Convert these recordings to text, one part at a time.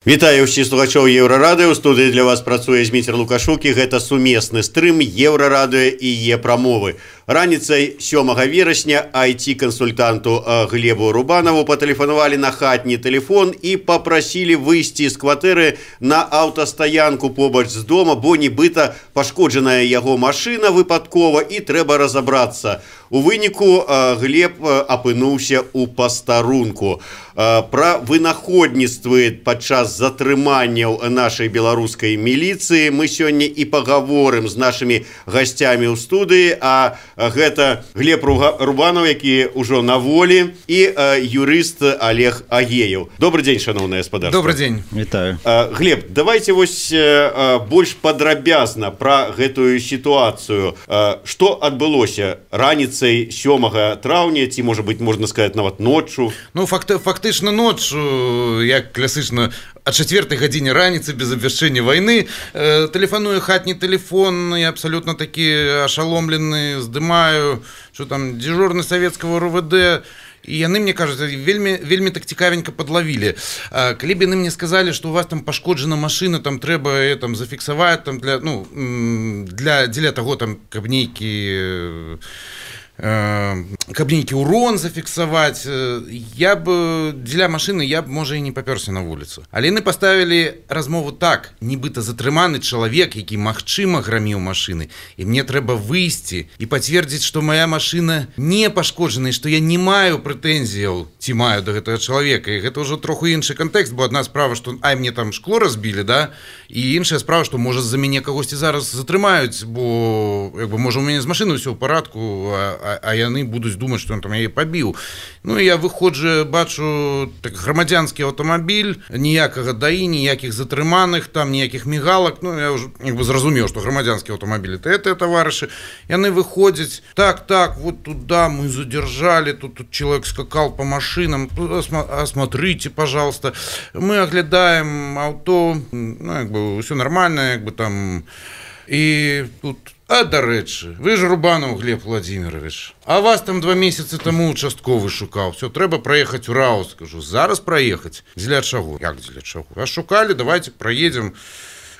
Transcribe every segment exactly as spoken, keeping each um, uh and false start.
Вітаю ўсіх слухачоў Еўрарадыё. У студыі для вас працуе Зміцер Лукашук, і гэта сумесны стрым Еўрарадыё і Е-прамовы. Раніцай сёмага верасня ай ти-кансультанту Глебу Рубанову патэлефанавалі на хатні тэлефон і папрасілі выйсці з кватэры на аўтастаянку побач з дома, бо нібыта пашкоджаная яго машына выпадкова і трэба разабрацца. У выніку Глеб апынуўся ў пастарунку. Пра вынаходніцтвы падчас затрыманняў нашай беларускай міліцыі мы сёння і пагаворым з нашымі гасцямі ў студыі, а гэта Глеб Рубанов, які ўжо на волі, і юрыст Олег Агеев. Добрый дзень, шановнае гаспадарства. Добрый дзень. Вітаю. Глеб, давайте вось больш падрабязна пра гэтую сітуацыю. Што адбылося раніцай сёмага траўня, ці, можа быць, можна сказаць, нават ноччу? Ну, факты, фактычна ноччу, як класычна, о четвертой гадзіне раніцы без абвяшчэння вайны, э, тэлефаную хатні тэлефон, я абсолютно такі ашаломлены, здымаю, что там дежурны савецкага РУВД, і яны мне кажуць, вельмі вельмі так цікавенька подловілі. А, калі б яны мне сказалі, што у вас там пашкоджана машына, там трэба там зафіксаваць там для ну для дзеля таго там каб нейкі каб нейкі урон зафіксаваць, я б дзеля машыны я б можа і не папёрся на вуліцу. Але яны паставілі размову так: нібыта затрыманы чалавек, які магчыма граміў машыны, і мне трэба выйсці і пацвердзіць, што моя машына не пашкоджана, што я не маю прэтэнзіяў ці маю да гэтага чалавека. І гэта ўжо троху іншы кантэкст, бо адна справа, што ай мне там шкло разбілі, да, і іншая справа, што можа з-за мяне кагосьці зараз затрымаюць, бо як бы можа у мяне з машыны ўсё ў парадку, а а яны будуць думаць, што ён там яе пабіў. Ну і я выходжу, бачу так, грамадзянскі аўтамабіль, ніякага даі, ніякіх затрыманых, там ніякіх мігалак. Ну я ўжо як бы зразумеў, што грамадзянскі аўтамабіль это это таварышы. Яны выходзяць: так, так, вот туда мы задержали, тут, тут человек скакал по машинам, осмотрите, пожалуйста. Мы оглядаем авто, ну як бы все нормально, як бы там. І тут, а дарэчы, вы ж Рубанов Глеб Владимирович, а вас там два месяцы тому участковы шукаў, все, трэба праехаць у РАО. Скажу, зараз праехаць? Дзеля чаго? Як дзеля чаго? Вас шукалі, давайте праедем.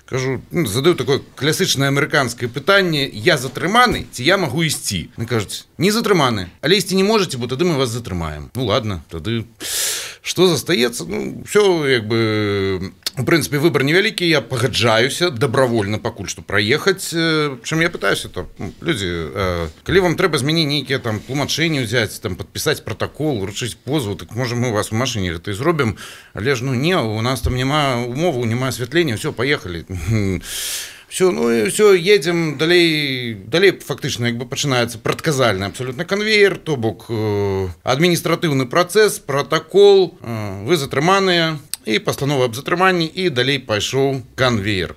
Кажу, ну, задаю такое класычнае амерыканскае пытанне: я затрыманы ці я магу ісці? Они кажуць, не затрыманы, але ісці не можете, бо тады мы вас затрымаем. Ну ладно, тады что застаецца? Ну, все, як бы, в принципе, выбор невялікі, я пагаджаюся добровольно пакуль што праехаць. Чым я пытаюся, то люди, калі вам трэба змяніць нейкія там тлумачэнні ўзяць, там падпісаць протокол, уручыць позву, так можа мы у вас у машыне гэта і зробім, але ж ну не, у нас там няма умову, няма асвятлення, все, поехали. Все, ну и все, едем далей, далей фактично як бы пачынаецца прадказальны абсолютно конвейер, то бок э, адміністратыўны працэс, протокол, э, вы затрыманыя, і пастанова аб затрыманні, і далей пайшоў конвейер.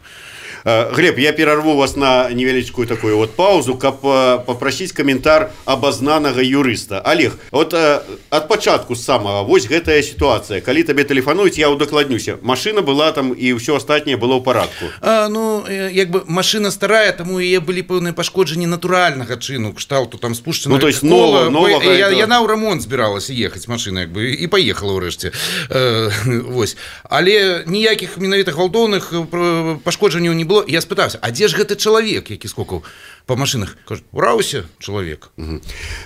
Глеб, я перарву вас на невялічкую такую вот паузу, каб попросіць каментар абазнанага юрыста. Олег, вот ад пачатку самага вось гэтая сітуацыя, калі табе тэлефануюць, я удакладнюся, машына была там і ўсё астатняе было ў парадку. А, ну як бы машына старая, таму яе былі пэўныя пашкоджанні натуральнага чыну, кшталту там спушчана, ну, то есть нова, новага, я, это... яна ў рамонт збіралася ехаць машына, як бы, і паехала ўрэшце. Э, вось. Але ніякіх менавіта гвалтоўных пашкоджанняў не было. Я спытаўся, а дзе ж гэты чалавек, які скокаў по машинах? Кажуть, у Раусе чалавек. Угу.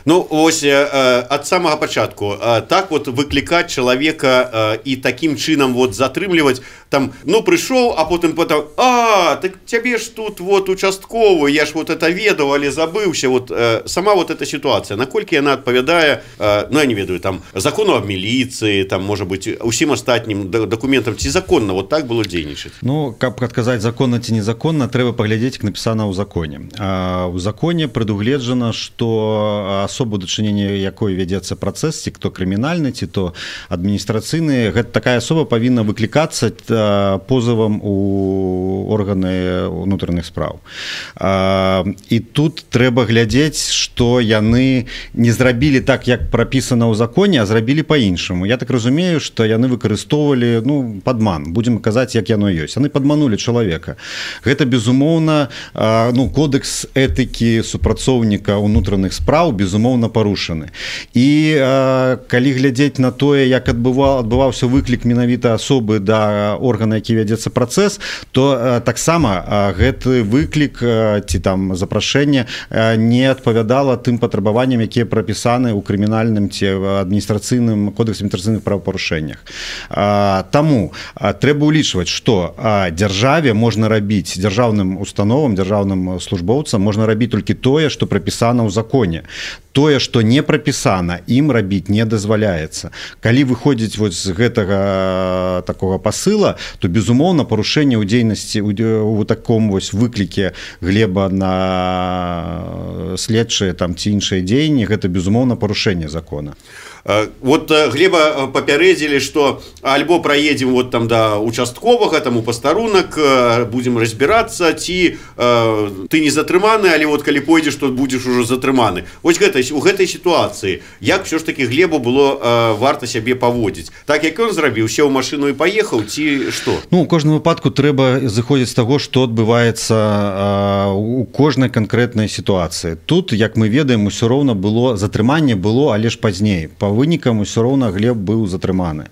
Ну, ось ад самага пачатку так вот выклікаць чалавека і такім чынам вот затрымліваць, там, ну, прыйшоў, а потым потом, а, так цябе ж тут вот участковы, я ж вот это ведаў, але забыўся. Вот сама вот эта сітуацыя, наколькі яна адпавядае, ну, я не ведаю, там, закону аб міліцыі, там, можа быць, усім астатнім дакументам, ці законна вот так было дзейнічаць? Ну, каб адказаць законна ці незаконна, трэба паглядзець, як напісана ў законе. У законе прадугледжана, што асобу дачынення якой вядзецца працэс, ці то крымінальны, ці то адміністрацыйны, гэта такая асоба павінна выклікацца позывам у органы ўнутраных спраў. І тут трэба глядзець, што яны не зрабілі так, як прапісана ў законе, а зрабілі па-іншаму. Я так разумею, што яны выкарыстоўвалі, ну, падман, будзем казаць, як яно ёсць. Яны падманулі чалавека. Гэта, безумоўна, ну, кодекс этыкі супрацоўніка ўнутраных спраў, безумоўна, парушаны. І калі глядзець на тое, як адбываўся выклік менавіта асобы да органа, які вядзецца працэс, то таксама гэты выклік ці там запрашэнне не адпавядала тым патрабаванням, якія прапісаны ў крымінальным ці адміністрацыйным кодексе адміністрацыйных правапарушэннях. Таму трэба ўлічваць, што дзяржаве можна рабіць, дзяржаўным установам, дзяржаўным службоўцам можна рабіць толькі тое, што прапісана ў законе. Тое, што не прапісана, ім рабіць не дазваляецца. Калі выходзіць вось з гэтага такога пасыла, то, безумоўна, парушэнне ў дзейнасці у таком вось выкліке Глеба на следчыя там ці іншыя дзеянні, гэта, безумоўна, парушэнне закона. Вот Глеба папярэдзілі, што альбо праедзем вот там да участковага, там у пастарунак, будзем разбірацца, ці ты не затрыманы, але вот калі пойдзеш, то будзеш ужо затрыманы. Вось гэта, у гэтай сітуацыі, як ўсё ж такі Глебу было варта сябе паводзіць? Так, як ён зрабіў, сеў у машыну і паехаў, ці што? Ну, у кожным выпадку трэба зыходзіць з таго, што адбываецца у кожнай канкрэтнай сітуацыі. Тут, як мы ведаем, усё роўна было, затрыманне было, але ж пазней. Па вынікам усё роўна Глеб быў затрыманы.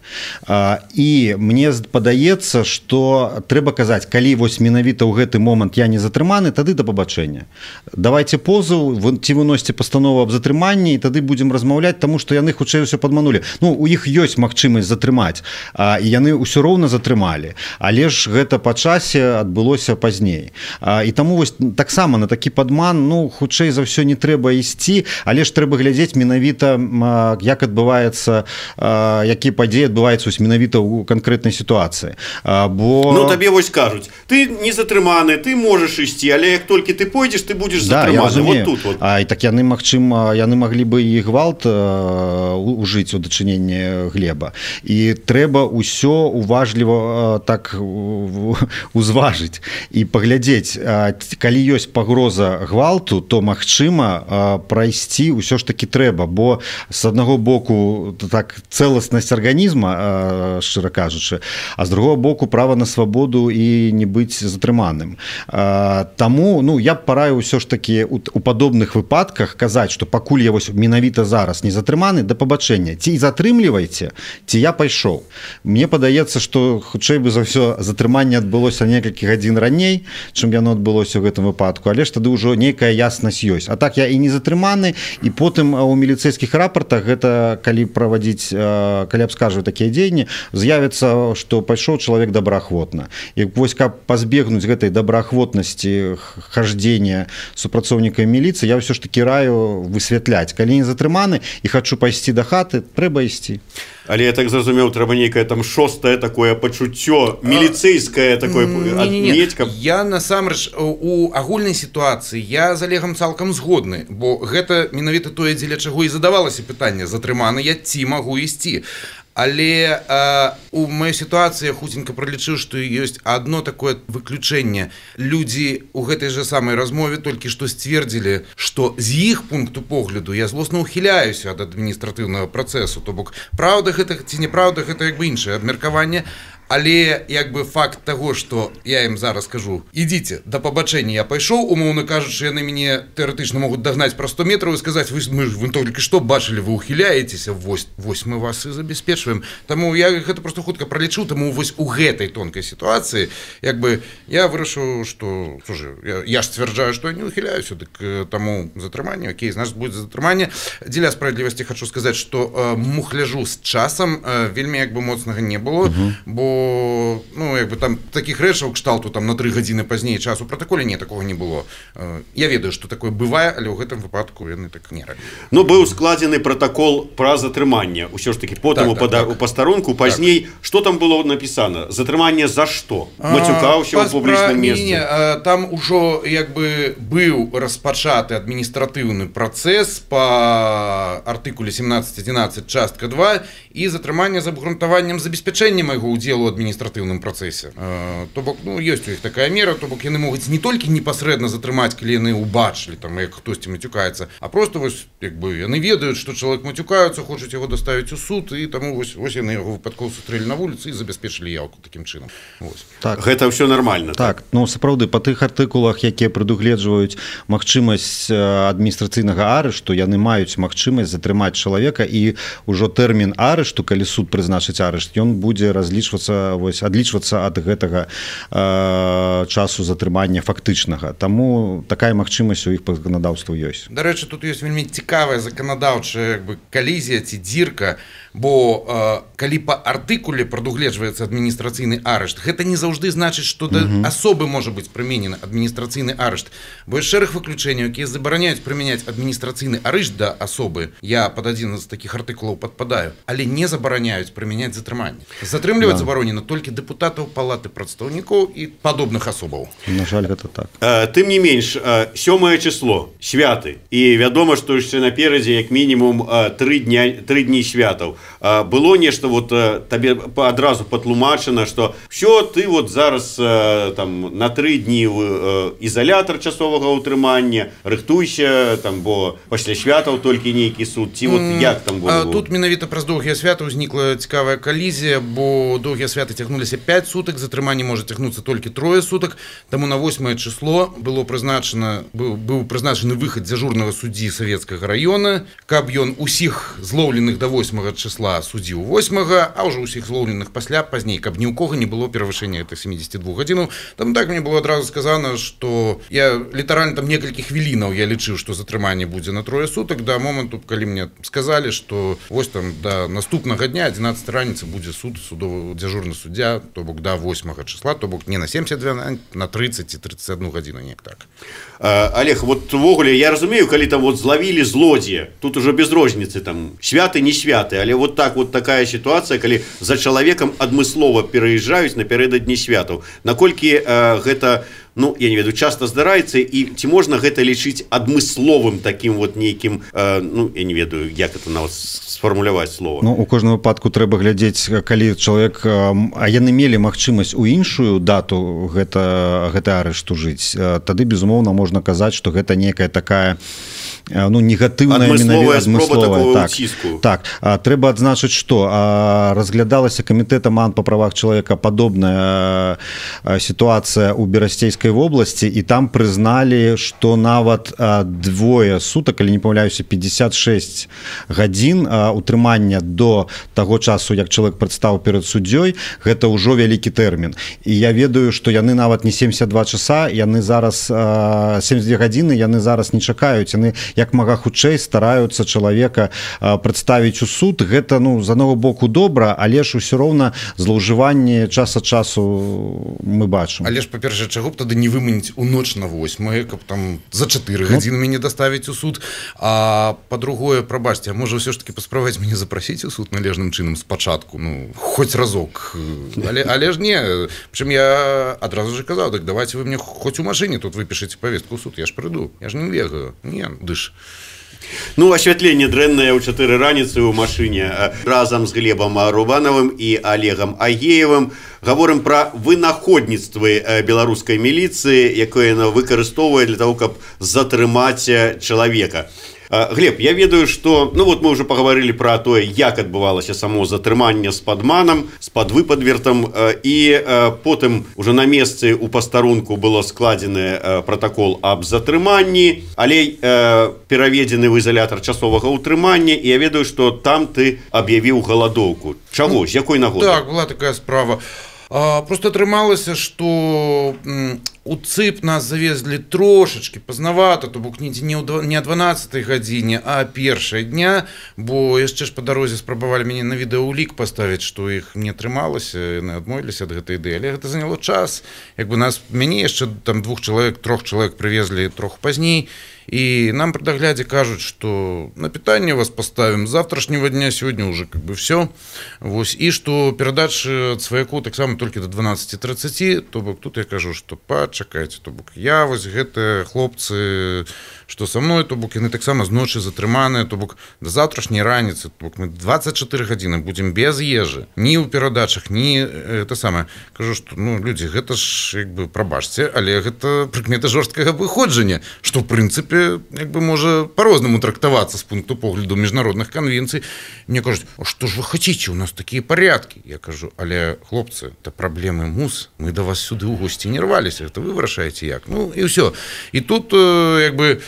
І мне падаецца, што трэба казаць, калі вось менавіта ў гэты момант я не затрыманы, тады да пабачэння. Давайце позыў, ці выносьце пастанову аб затрыманні, і тады будзем размаўляць, таму што яны хутчэй усё падманулі. Ну, у іх ёсць магчымасць затрымаць, і яны ўсё роўна затрымалі. Але ж гэта па часе адбылося пазней. І таму вось таксама на такі падман, ну, хутчэй за ўсё не трэба ісці, але ж трэба глядзець менавіта, як адбываецца, якія падзеі адбываюцца менавіта ў канкрэтнай сітуацыі. Бо... Ну, табе вось кажуць, ты не затрыманы, ты можаш ісці, але як толькі ты пойдзеш, ты будзеш да, затрыманы. Вот тут вот. А, і так яны, магчыма, яны маглі бы і гвалт ужыць у дачыненні Глеба. І трэба ўсё уважліва так узважыць і паглядзець, калі ёсць пагроза гвалту, то, магчыма, прайсці ўсё ж такі трэба, бо з аднаго боку так цэласнасць арганізма, шчыра кажучы, а з другого боку права на свабоду і не быць затрыманым. Таму, ну, я б параю ўсё ж такі у, у падобных выпадках казаць, што пакуль я вось менавіта зараз не затрыманы, да пабачэння, ці затрымлівайце, ці я пайшоў. Мне падаецца, што хутчэй бы за ўсё затрыманне адбылося некалькі гадзін раней, чым яно адбылося ў гэтым выпадку, але ж тады ўжо нейкая яснасць ёсць. А так я і не затрыманы, і потым у міліцэйскіх рапартах гэта калі правадзіць, калі абскажваю такія дзеянні, з'явіцца, што пайшоў чалавек добраахвотна. І вось каб пазбегнуць гэтай добраахвотнасці хаждзення супрацоўнікамі міліцыі, я ўсё ж такі раю высвятляць. Калі не затрыманы і хачу пайсці да хаты, трэба ісці. Але я так зразумеў, трэба нейкае там шостае такое пачуццё, міліцэйскае такое адмець, каб... Я насамрэч у агульнай сітуацыі я з Алегам цалкам згодны, бо гэта менавіта тое, дзеля чаго і задавалася пытанне, затрыманы я ці магу ісці. Але э, у маёй сітуацыі я хуценька пралічыў, што ёсць адно такое выключэнне. Людзі ў гэтай жа самай размове толькі што сцвердзілі, што з іх пункту погляду я злосна ухіляюся ад адміністратыўнага працэсу. То бок, праўда гэта ці неправда, гэта як бы іншае абмеркаванне. Але як бы факт таго, што я ім зараз кажу, ідзіце, да пабачэння я пайшоў, умоўна кажучы, яны мяне тэарэтычна могуць дагнаць пра сто метраў і сказаць, вы, мы, вы толькі што бачылі, вы ухіляецеся, вось, вось мы вас і забяспечваем. Таму я гэта проста хутка пралічу, таму вось у гэтай тонкай сітуацыі, як бы я вырашыў, што, слушай, я, я ж сцвярджаю, што я не ухіляюся, дык таму затрыманне, окей, значит, будзе затрыманне. Дзеля справядлівасці хочу сказаць, што э, мухляжу з часам э, вельмі як бы моцнага не было, uh-huh. бо ну, як бы там таких рэчаў кшталту там на тры гадзіны пазней часу протаколе не такого не было. Я ведаю, што такое бывае, але ў гэтым выпадку яны так не рабілі. Ну, быў складзены протакол пра затрыманне. Усё ж такі потым так, у, так, так. у пастарунку пазней, так. Што там было напісана? Затрыманне за што? Мацюкаўся ў публічным месцы. Там ужо як бы быў распачаты адміністратыўны працэс па артыкуле семнадцать одиннадцать частка два і затрыманне з абгрунтаваннем забеспячэння майго ўдзелу ў адміністратыўным працэсе. То бок, ну, ёсць у іх такая мера, то бок яны могуць не толькі непасрэдна затрымаць, калі яны ўбачылі, там, як хтосьці мацюкаецца, а просто вось, як бы, яны ведаюць, што чалавек мацюкаюцца, хочуць яго даставіць у суд, і таму вось, вось яны яго выпадкова сустрэлі на вуліцы і забяспечылі яўку такім чынам. Вось. Так. Гэта ўсё нармальна. Так, так. Ну, сапраўды, па тых артыкулах, якія прадугледжваюць магчымасць адміністрацыйнага арышту, яны маюць магчымасць затрымаць чалавека, і ўжо тэрмін арышту, калі суд прызначыць арышт, ён будзе разлічвацца вось адлічвацца ад гэтага э, часу затрымання фактычнага. Таму такая магчымасць у іх па заканадаўству ёсць. Дарэчы, тут ёсць вельмі цікавая заканадаўчая як бы калізія ці дзірка, бо э, калі па артыкуле прадугледжваецца адміністрацыйны арышт, гэта не заўжды значыць, што да uh-huh. асобы можа быць прыменены адміністрацыйны арышт. Бо ёсць шэраг выключэнняў, якія забараняюць прымяняць адміністрацыйны арышт да асобы. Я пад адзін з такіх артыкулаў падпадаю, але не забараняюць прымяняць затрыманне. Затрымліваць да. забаронена толькі дэпутатаў палаты прадстаўнікоў і падобных асобаў. На жаль, гэта так. Э, тым не менш, э, сёмае число, святы. І вядома, што яшчэ наперадзе як мінімум э, тры дня, тры дні святаў. Было нешта вот табе адразу патлумачана, што все, ты вот зараз там на тры дні ізалятар часовага ўтрымання, рыхтуйся, там, бо пасля святаў толькі нейкі суд, ці вот як там было? Тут менавіта праз доўгія святы ўзнікла цікавая калізія, бо доўгія святы цягнуліся пяць сутак, затрыманне можа цягнуцца толькі трое сутак, таму на восьмае число было прызначана, быў, быў прызначаны выхад дзяжурнага суддзі савецкага раёна, каб ён усіх злоўленых да восьмага числа судзіў восьмага, а ўжо ўсіх злоўленых пасля пазней, каб ні ў кого не было перавышэння этих семидесяти двух гадзінаў. Там так мне было адразу сказано, што я літаральна там некалькі хвілінаў я лічыў, што затрыманне будзе на трое сутак да моманту, калі мне сказалі, што вось там да наступнага дня адзінаццатай раніцы будзе суд, судовы дзяжурны суддзя, то бок да восьмага числа, то бок не на семьдесят два, на тридцать ці тридцать одну гадзіну, неяк так. А, Олег, вот увогуле я разумею, калі там вот злавілі злодзея, тут уже без розніцы, там святы не святы, але вот так вот такая ситуация, калі за чалавекам адмыслова пераязджаюць напярэдадні святаў. Наколькі э, гэта, ну, я не ведаю, часто здараецца, і ці можна гэта лічыць адмысловым таким вот нейкім, э, ну, я не ведаю, як это нават сфармуляваць слова. Ну, у кожным выпадку трэба глядзець, калі чалавек, а яны мелі магчымасць у іншую дату гэта, гэта арышту жыць, тады, безумоўна, можна казаць, што гэта некая такая, ну, негатыўная адмысловая спроба такого так, ўціску. Так, а, трэба адзначыць, што а, разглядалася камітэтам АН па правах чалавека падобная а, сітуацыя ў Берасцейскай вобласці, і там прызналі, што нават а, двое сутак, калі не памыляюся, пятьдесят шесть гадзін а, утрымання до таго часу, як чалавек прадстаў перад суддзёй, гэта ўжо вялікі тэрмін. І я ведаю, што яны нават не семьдесят два часа, яны зараз а, семьдесят две гадзіны, яны зараз не чакаюць, яны як мага хутчэй стараюцца чалавека а, прадставіць у суд. Гэта, ну, з аднаго боку добра, але ж усё роўна злоўжыванне час ад часу мы бачым. Але ж, па-першае, чаго б тады не выманіць у ноч на восьмае, каб там за чатыры гадзіны мяне даставіць у суд. А па-другое, прабачце, а можа ўсё ж таки паспрабаваць мяне запрасіць у суд належным чынам спачатку, ну, хоць разок. Але, але ж не, прычым я адразу же казаў, так давайте вы мне хоць у машыне тут выпішыце павестку ў суд, я ж прыйду, я ж не бегаю, не, дыш. Ну, асвятленне дрэннае ў чатыры раніцы ў машыне. Разам з Глебам Рубанавым і Олегам Агеевым гаворым пра вынаходніцтвы беларускай міліцыі, якое яна выкарыстоўвае для того, каб затрымаць чалавека. Глеб, я ведаю, что, ну вот мы уже поговорили про то, як адбывалася само затрыманне з падманам, з падвыпадвертам, і потым уже на месцы у пастарунку было складзены протокол аб затрыманні, але пераведзены в изолятор часовага утрымання, і я ведаю, что там ты аб'явіў галадоўку. Чаго, з якой нагоды? Так, была такая справа. А, просто атрымалася, што у ЦИП нас завезли трошечки поздновато, то бок не о дванаццатай гадзіне, а першай дня, бо яшчэ ж па дарозе спрабавалі мяне на відэаулік паставіць, што іх не атрымалася, яны адмовіліся ад гэтай ідэі, але гэта заняло час. Як бы нас, мяне яшчэ там двух чалавек, трох чалавек прывезлі троху пазней, и нам при догляде кажут, что на питание вас поставим с завтрашнего дня, сегодня уже как бы все. Вот, и что передача от сваяку так само только до дванаццаці трыццаці, то бок тут я кажу, что почекайте, то бок я вось гэта хлопцы, что со мной, то бок яны так само з ночи затрыманыя, то бок до завтрашняй раніцы, то бок мы двадцать четыре гадзіны будем без ежы, ни у перадачах, ни это самое. Кажу, что ну люди, гэта ж як бы прабачце, але гэта прыкмета жорсткага выходжання, что в принципе як бы можа по-рознаму трактавацца з пункту погляду міжнародных конвенций. Мне кажуць, а что ж вы хотите, у нас такие порядки. Я кажу, але хлопцы, это проблемы МУС, мы до вас сюды ў гости не рвались, это вы вы вырашаеце як. Ну і ўсё. І тут як бы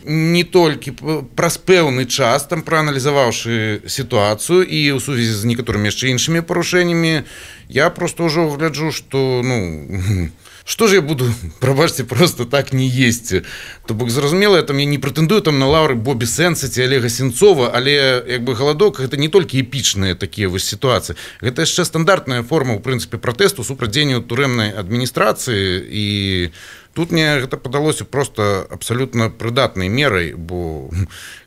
не толькі праз пэўны час, там прааналізаваўшы сітуацыю і ў сувязі з некаторымі яшчэ іншымі парушэннямі, я просто ўжо гляджу, што ну что же я буду, прабачце, просто так не есці. То бок зразумела, я там я не прэтэндую там на лаўры Бобі Сэнса ці Олега Сенцова, але як бы галадок гэта не толькі эпічныя такія вось сітуацыі. Гэта яшчэ стандартная форма, у прынцыпе, пратэсту супраць дзеянняў турэмнай адміністрацыі, і тут мне гэта падалося просто абсалютна прыдатнай мерай, бо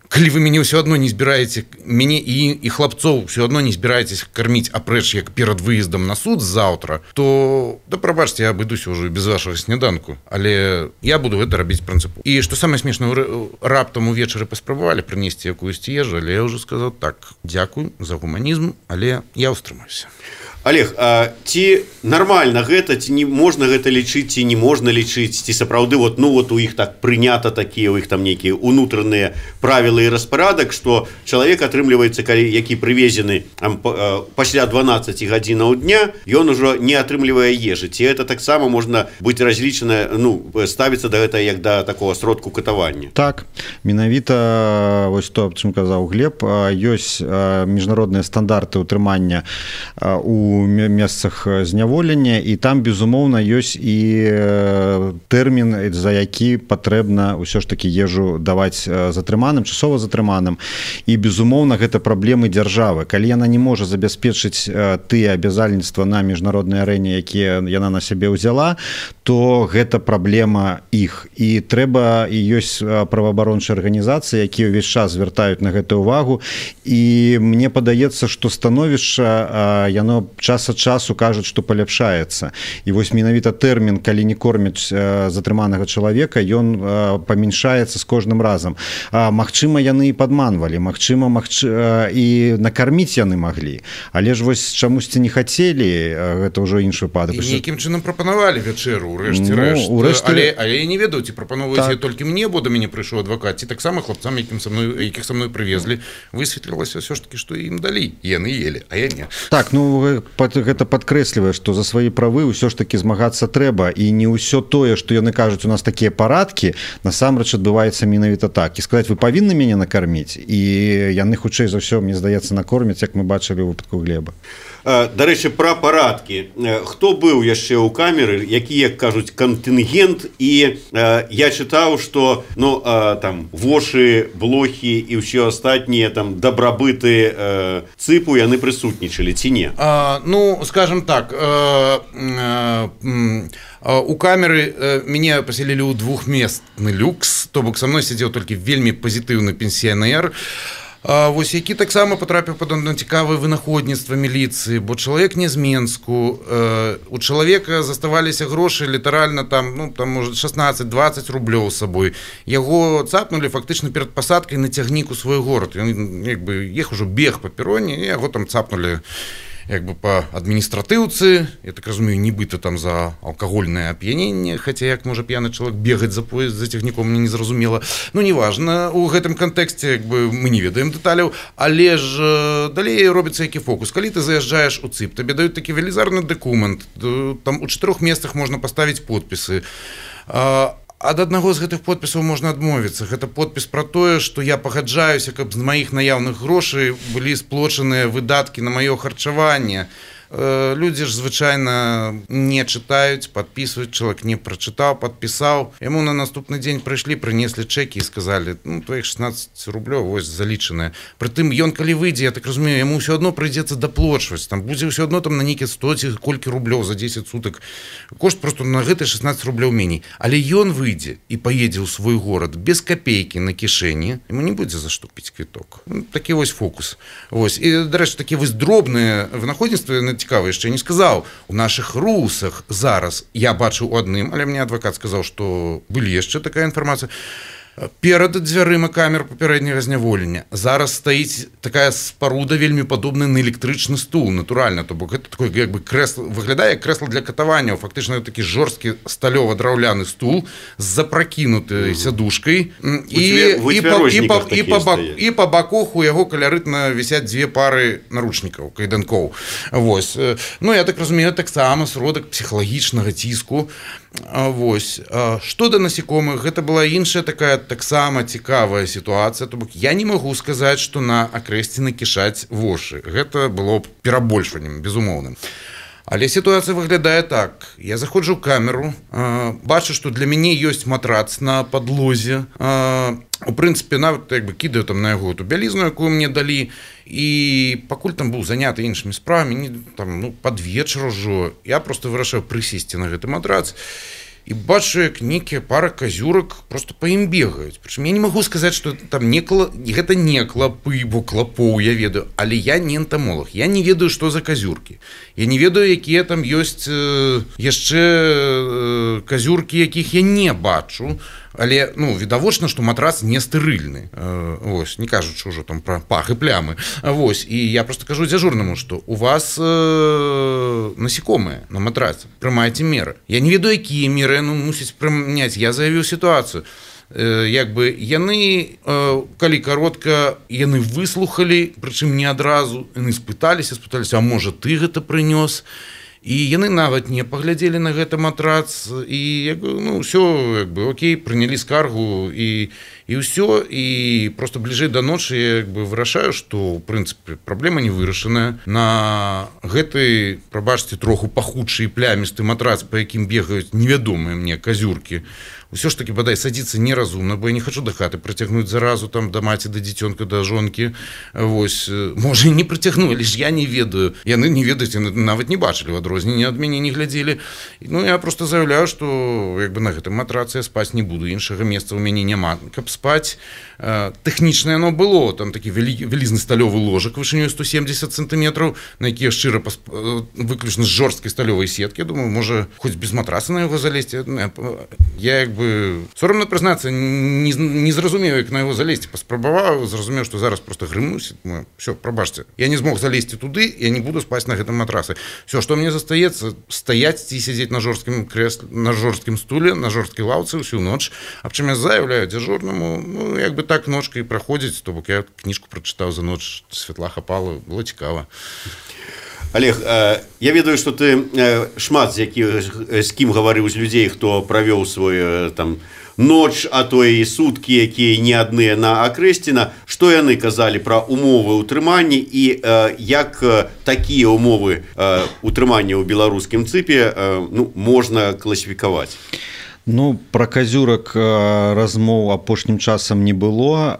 калі вы мяне ўсё адно не збіраеце, мяне і, і хлапцоў ўсё адно не збіраецесь карміць апрэч як перад выездам на суд заўтра, то да прабачце, я абыдуся ўжо без вашага сняданку, але я буду гэта рабіць прынцыпова. І што самае смешнае, раптам увечары паспрабавалі прынесці якуюсь ежу, але я ўжо сказаў так, дзякуй за гуманізм, але я ўстрымаюся. Олег, а ці нармальна гэта, ці не можна гэта лічыць, ці не можна лічыць, ці сапраўды вот, ну, вот у іх так прынята такія, у іх там нейкія унутраныя правілы і распарадак, што чалавек атрымліваецца, калі які прывезены там, пасля дванаццаці гадзінаў дня, ён ужо не атрымлівае ежы. Ці гэта таксама можна быць разлічана, ну, ставіцца да гэта як да такого сродку катавання? Так, менавіта вось то, аб чым казаў Глеб, ёсць міжнародныя стандарты ўтрымання у месцах зняволення, і там, безумоўна, ёсць і тэрмін, за які патрэбна ўсё ж такі ежу даваць затрыманым, часова затрыманым. І, безумоўна, гэта праблемы дзяржавы. Калі яна не можа забяспечыць тыя абязальніцтва на міжнароднай арэне, якія яна на сябе ўзяла, то гэта праблема іх. І трэба, і ёсць праваабарончыя арганізацыі, якія ўвесь час звяртаюць на гэтую увагу. І мне падаецца, што становішча, яно час ад часу кажуць, што паляпшаецца. І вось менавіта тэрмін, калі не кормяць затрыманага чалавека, ён памяншаецца з кожным разам. Магчыма, яны і падманвалі, магчыма, магчы... і накарміць яны маглі. Але ж вось чамусьці не хацелі, гэта ўжо іншы выпадак. І нейкім чынам прапанавалі вячэру, урэшце рэшт. Ну, урэшце... але, але я не ведаю, ці прапановваеце так. Толькі мне, бо да мяне прыйшоў адвакат, ці таксама хлопцам, якім са мной, якіх са мной прывезлі, высветлілася ўсё ж такі, што ім далі. Яны елі, а я не. Так, ну гэта падкрэслівае, што за свае правы ўсё ж такі змагацца трэба, і не ўсё тое, што яны кажуць, у нас такія парадкі, насамрэч адбываецца менавіта так. І сказаць, вы павінны мяне накарміць, і яны хутчэй за ўсё, мне здаецца, накормяць, як мы бачылі ў выпадку Глеба. Дарэчы, пра парадкі. Хто быў яшчэ ў камеры, які, як кажуць, кантынгент, і я чытаў, што ну, там вошы, блохі і ўсё астатнія там дабрабыты цыпу яны прысутнічалі, ці не? А, ну, скажем так, а, а, а, у камеры а, мяне паселілі ў двухместны люкс, то бок са мной сядзеў толькі вельмі пазітыўны пенсіянер, А, вось які таксама патрапіў пад цікавае вынаходніцтва міліцыі, бо чалавек не з Менску, э, у чалавека заставаліся грошы літаральна там, ну, там можа шаснаццаць-дваццаць рублёў з сабой. Яго цапнулі фактычна перад пасадкай на цягнік у свой горад. Ён як бы іх ужо бег па пероне, і яго там цапнулі як бы па адміністратыўцы, я так разумею, нібыта там за алкагольнае ап'яненне, хаця як можа п'яны чалавек бегаць за поезд за цягніком, мне не зразумела. Ну, неважна, у гэтым кантэксце як бы мы не ведаем дэталяў, але ж далей робіцца які фокус. Калі ты заязджаеш у цып, табе даюць такі велізарны дакумент, там у чатырох месцах можна паставіць подпісы. Ад аднаго з гэтых подпісаў можна адмовіцца. Гэта подпіс пра тое, што я пагаджаюся, каб з маіх наяўных грошай былі сплочаныя выдаткі на маё харчаванне. Людзі ж звычайна не чытаюць, падпісваюць, чалавек не прачытаў, падпісаў. Яму на наступны дзень прыйшлі, прынеслі чэкі і сказалі, ну, твоіх шаснаццаць рублёў, вось залічаныя. Прытым ён калі выйдзе, я так разумею, яму ўсё адно прыйдзецца даплочваць. Там будзе ўсё адно там на нейкі сто ці колькі рублёў за дзесяць сутак. Кошт просто на гэты шаснаццаць рублёў меней. Але ён выйдзе і паедзе ў свой горад без капейкі на кішэні, яму не будзе за што купіць квіток. Ну, такі вось фокус. Вось. І, дарэчы, такі вось дробныя вынаходніцтвы цікава, яшчэ не сказаў. У нашых русах зараз я бачыў у адным, але мне адвакат сказаў, што былі яшчэ такая інфармацыя. Перад дзвярыма камер папярэдняга зняволення зараз стаіць такая спаруда вельмі падобная на электрычны стул, натуральна, то бок гэта такое як бы крэсла, выглядае як крэсла для катавання, фактычна такі жорсткі сталёва-драўляны стул з запрокінутай сядушкай і і па, і, па, і, па бак, і па баках у яго каларытна вісяць дзве пары наручнікаў, кайданкоў. Вось. Ну я так разумею, таксама сродак псіхалагічнага ціску. Вось. Што да насекомых, гэта была іншая такая таксама цікавая сітуацыя, то бок я не магу сказаць, што на акрэсціны кішаць вошы. Гэта было б перабольшваннем, безумоўным. Але сітуацыя выглядае так. Я заходжу ў камеру, бачу, што для мяне ёсць матрац на падлозе. У прынцыпе, нават як бы кідаю там на яго ту бялізну, якую мне далі, і пакуль там быў заняты іншымі справамі, там, ну, пад вечар ужо, я просто вырашаю прысесці на гэты матрац, і бачу, як нейкія пара казюрак просто па ім бегаюць. Прычым я не магу сказаць, што там не кла... гэта не клапы, бо клапоў я ведаю, але я не энтамолог. Я не ведаю, што за казюркі. Я не ведаю, якія там ёсць э, яшчэ э, казюркі, якіх я не бачу. Але, ну, відавочна, што матрац не стэрыльны. Э, вось, не кажучы ўжо там пра пах і плямы. Вось, і я просто кажу дзяжурнаму, што у вас э, насекомыя на матраце, прымайце меры. Я не ведаю, якія меры, ну, мусіць прыняць. Я заявіў сітуацыю. Э, як бы яны, э, калі каротка, яны выслухалі, прычым не адразу, яны спыталіся, спыталіся, а можа, ты гэта прынёс? І яны нават не паглядзелі на гэты матрац, і як бы, ну, ўсё, як бы, окей, прынялі скаргу, і, і ўсё, і просто бліжэй да ночы я як бы вырашаю, што, ў прынцыпе, праблема не вырашаная. На гэтай, прабачце, троху пахучы і плямісты матрац, па якім бегаюць невядомыя мне казюркі, ўсё ж такі, бадай, садзіцца неразумна, бо я не хачу да хаты прыцягнуць заразу там да маці, да дзіцёнка, да жонкі. Вось, можа, і не прыцягну, але ж я не ведаю. Яны не ведаюць, яны нават не бачылі ў адрозненні ад мяне, не глядзелі. Ну, я просто заяўляю, што як бы на гэтым матрацы я спаць не буду, іншага месца ў мяне няма. Каб спаць, тэхнічна яно было, там такі вялізны сталёвы ложак вышынёй сто семдзесят сантыметраў, на які я шчыра выключна з жорсткай сталёвай сеткі. Я думаю, можа, хоць без матраца на яго залезці. Я як бы сорамна прызнацца, не, не зразумею, як на яго залезці. Паспрабаваў, зразумеў, што зараз просто грымнусь. Все, прабачце. Я не змог залезці туды, я не буду спаць на гэтым матрацы. Все, што мне застаецца, стаяць ці сядзець на жорсткім крэсле, на жорсткім стуле, на жорсткай лаўцы ўсю ноч. Аб чым я заяўляю дзяжурнаму, ну, як бы так ночка і праходзіць, то бок я кніжку прачытаў за ноч, святла хапала, было цікава. Олег, я ведаю, што ты шмат з якіх, з кім гаварыў з людзей, хто правёў свой там ноч, а то і суткі, якія не адныя на акрэсціна. Што яны казалі пра умовы ўтрымання і як такія умовы ўтрымання ў беларускім цыпе ну, можна класіфікаваць? Ну, пра казюрак размоў апошнім часам не было.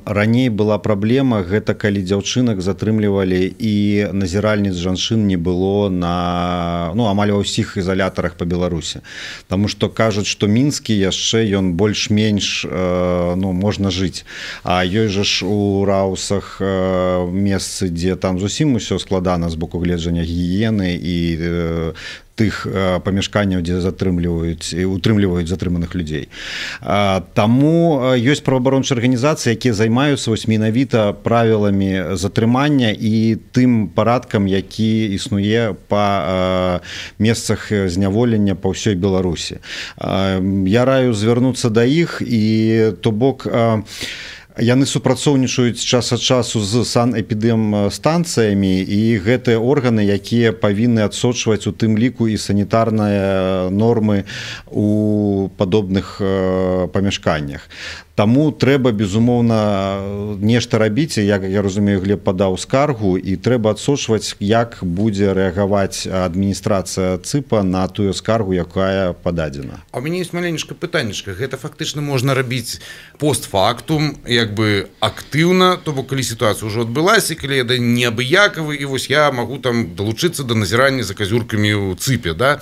Раней была праблема, гэта калі дзяўчынак затрымлівалі і назіральніц жанчын не было на, ну, амаль ва ўсіх ізалятарах па Беларусі. Таму што кажуць, што мінскі яшчэ ён больш-менш, ну, можна жыць. А ёсць жа ж у Раусах месцы, дзе там зусім усё складана з боку гледжання гігіены і тых памяшканняў, дзе затрымліваюць і утрымліваюць затрыманых людзей. Таму ёсць праваабарончыя арганізацыі, якія займаюцца вось менавіта правіламі затрымання і тым парадкам, які існуе па месцах зняволення па ўсёй Беларусі. Я раю звярнуцца да іх, і то бок яны супрацоўнічаюць час ад часу з санэпідэмстанцыямі, і гэтыя органы, якія павінны адсочваць у тым ліку і санітарныя нормы у падобных памяшканнях. Таму трэба, безумоўна, нешта рабіць, як я разумею, Глеб падаў скаргу, і трэба адсочваць, як будзе рэагаваць адміністрацыя ЦЫПа на тую скаргу, якая пададзена. А у мяне ёсць маленечка пытаннечка. Гэта фактычна можна рабіць постфактум, як бы актыўна, то бок калі сітуацыя ўжо адбылася, калі я неабыякавы, і вось я магу там далучыцца да назірання за казюркамі ў ЦЫПе, да?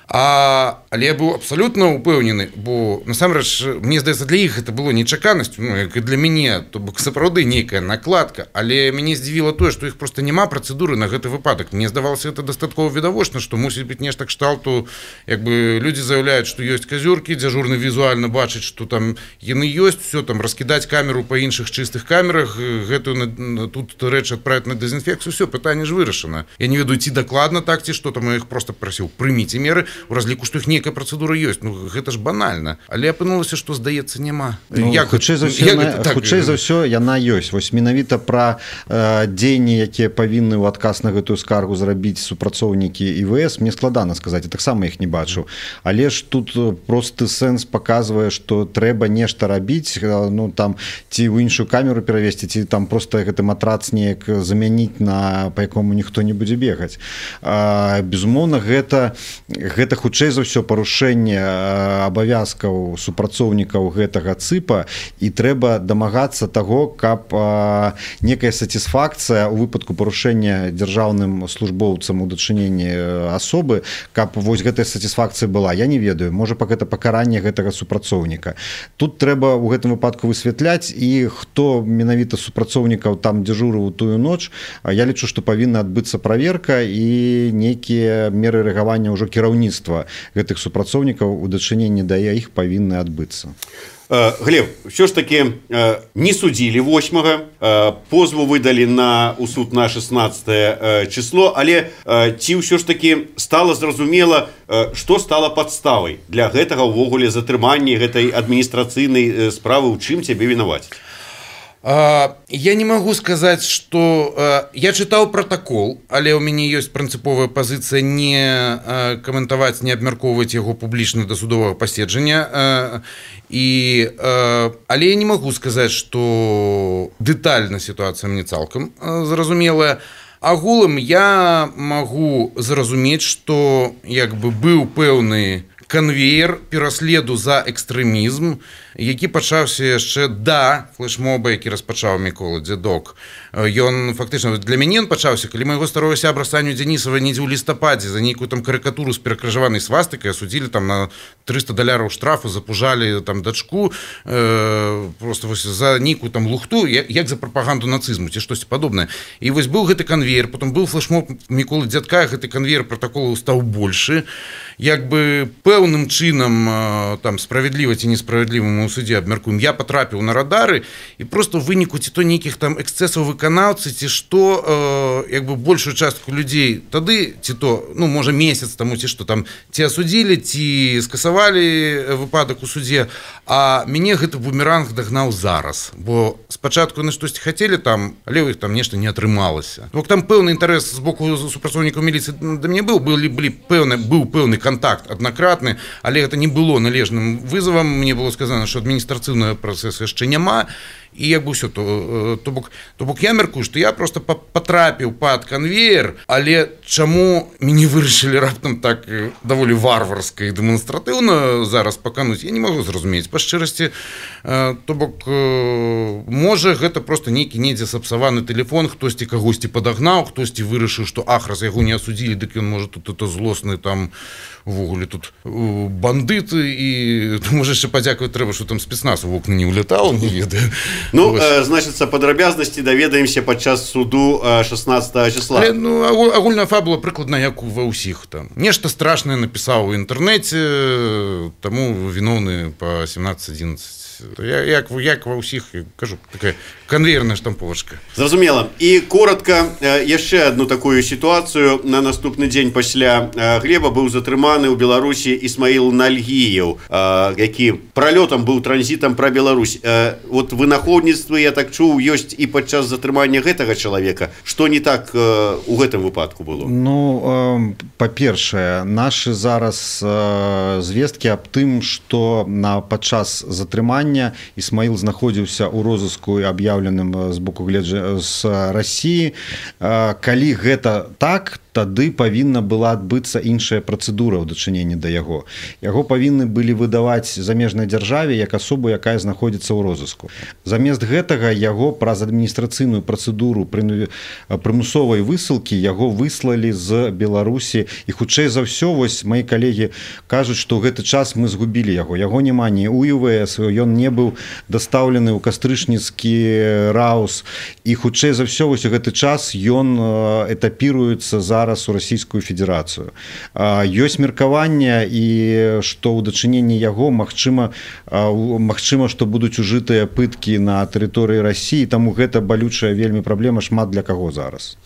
А, але я быў абсалютна упэўнены, бо насамрэч мне здаецца, для іх это было нечаканасцю, ну, як і для мяне, то бок сапраўды нейкая накладка, але мяне здзівіла тое, што іх проста няма працэдуры на гэты выпадак. Мне здавалася это дастаткова відавочна, што мусіць быць нешта кшталту, як бы людзі заяўляюць, што ёсць казюркі, дзяжурны візуальна бачыць, што там яны ёсць, все там раскідаць камеру па іншых чыстых камерах, гэтую тут рэч адправіць на дэзінфекцыю, все, пытанне ж вырашана. Я не ведаю, ці дакладна так, ці што там, я іх просто прасіў, прыміце меры, у разліку, што іх нейкая працэдура ёсць. Ну, гэта ж банальна. Але апынулася, што, здаецца, няма. Ну, як, хутчэй за ўсё, яна, так, хутчэй за ўсё яна ёсць. Вось менавіта пра э, дзеянні, якія павінны ў адказ на гэтую скаргу зрабіць супрацоўнікі І В С, мне складана сказаць, я таксама іх не бачыў. Але ж тут просты сэнс паказвае, што трэба нешта рабіць, ну, там, ці ў іншую камеру перавесці, ці там проста гэты матрац неяк замяніць, на, па якому ніхто не будзе бегаць. А, безумоўна, гэта, гэта хутчэй за ўсё парушэнне абавязкаў супрацоўнікаў гэтага цыпа, і трэба дамагацца таго, каб а, некая сатысфакцыя ў выпадку парушэння дзяржаўным службоўцам у дачыненні асобы, каб вось гэтая сатысфакцыя была. Я не ведаю, можа, пак гэта пакаранне гэтага супрацоўніка. Тут трэба ў гэтым выпадку высвятляць, і хто менавіта супрацоўнікаў там дзяжурыў у тую ноч, я лічу, што павінна адбыцца праверка і нейкія меры рэагавання ўжо кіраўніцтва гэтых супрацоўнікаў у дачыненні да іх павінны адбыцца. Глеб, все ж таки не судили восьмага, позву выдали на у суд на шестнадцатое число, але ці ўсё ж таки стало зразумела, что стало подставой для гэтага ўвогуле затрымання гэтай адміністрацыйнай справы, у чым цябе вінаваць? Я не могу сказать, что я читал протокол, але у меня есть принциповая позиция не комментовать, не обмярковывать его публично до судового паседжання. И, але я не могу сказать, что детально ситуация мне цалкам зразумелая. Агулам я могу зразумець, что як бы быў пэўны конвейер пераследу за экстрэмізм, які пачаўся яшчэ да флешмоба, які распачаў Мікола Дзядок. Ён фактычна для мяне ён пачаўся, калі майго старого сябра Саню Дзянісава недзе ў лістападзе за нейкую там карыкатуру з перакрыжаванай свастыкай асудзілі там на трыста даляраў штрафу, запужалі там дачку э, просто вось за нейкую там лухту, як, як за прапаганду нацызму ці штосьці падобнае. І вось быў гэты канвейер, потым быў флешмоб Міколы Дзядка, гэты канвейер протаколу стаў большы. Як бы пэўным чынам там справядліва ці несправядлівым у судзе абмяркуем, я патрапіў на радары, і просто ў выніку ці то нейкіх там эксцэсаў выканаўцы, ці што э, як бы большую частку людзей тады, ці то, ну, можа месяц таму, ці што там, ці асудзілі, ці скасавалі выпадак у судзе, а мяне гэты бумеранг дагнаў зараз, бо спачатку яны штосьці хацелі там, але ў іх там нешта не атрымалася. Бо там пэўны інтарэс з боку супрацоўнікаў міліцыі да мяне быў, былі, былі пэўны, быў пэўны контакт аднакратны, але гэта не было належным вызовам. Мне было сказано, што адміністрацыйнага працэсу яшчэ няма, і як бы ўсё, то, то, бок, то бок я мяркую, што я просто патрапіў пад канвеер, але чаму мяне вырашылі раптам так даволі варварска і дэманстратыўна зараз пакануць, я не магу зразумець. Па шчырасці, то бок, можа, гэта просто нейкі недзе сапсаваны тэлефон, хтосьці кагосьці падагнаў, хтосьці вырашыў, што ах, раз яго не асудзілі, дык ён можа тут это злосны там увогуле тут бандыты, і можа яшчэ падзякаваць трэба, што там спецназ у вокны не ўлятаў, не ведаю. Ну, э, значыцца, падрабязнасці даведаемся падчас суду шестнадцатого числа. Але, ну, агульная фабула прыкладна як ва ўсіх там. Нешта страшнае напісаў у інтэрнэце, таму віноўны па семнадцать одиннадцать. Я, як, як ва ўсіх, кажу, такая конвейерная штамповачка. Зразумела. І коротка, яшчэ одну такую сітуацыю. На наступны дзень пасля Глеба быў затрыманы ў Беларусі Ісмаіл Нальгіеў, які пралётам быў транзітам пра Беларусь. Вот вынаходніцтвы, я так чуў, ёсць і падчас затрымання гэтага чалавека. Што не так у гэтым выпадку было? Ну, па-першае, нашы зараз звесткі аб тым, што на падчас затрымання Ісмаіл знаходзіўся ў розыску і аб'яўленым з боку гледжа з Расіі. Калі гэта так, тады павінна была адбыцца іншая працэдура ў дачыненні да яго. Яго павінны былі выдаваць замежнай дзяржаве як асобу, якая знаходзіцца ў розыску. Замест гэтага яго праз адміністрацыйную працэдуру прымусовай высылкі яго выслалі з Беларусі, і хутчэй за ўсё вось мои калегі кажуць, што ў гэты час мы згубілі яго. Яго няма ні ў ю вэ эс, ён не быў дастаўлены ў кастрычніцкі раус, і хутчэй за ўсё вось у гэты час ён этапіруецца зараз у Расійскую Федэрацыю. Ёсць меркаванне, і што ў дачыненні яго магчыма, магчыма, што будуць ужытыя пыткі на тэрыторыі Расіі, таму гэта балючая вельмі праблема шмат для каго зараз.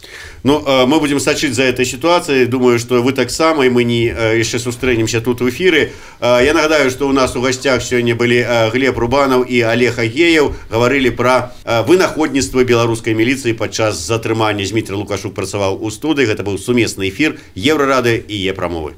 Ну, мы будем сачыць за этой ситуацией. Думаю, что вы таксама, і мы не яшчэ сустрэнемся тут у эфіры. Я нагадаю, что у нас у гостях сёння былі Глеб Рубанов і Олег Агеев, гаварылі пра вынаходніцтва беларускай міліцыі падчас затрымання. Зміцер Лукашук працаваў у студыі. Гэта быў сумесны эфір Еўрарадыё і Е-прамовы.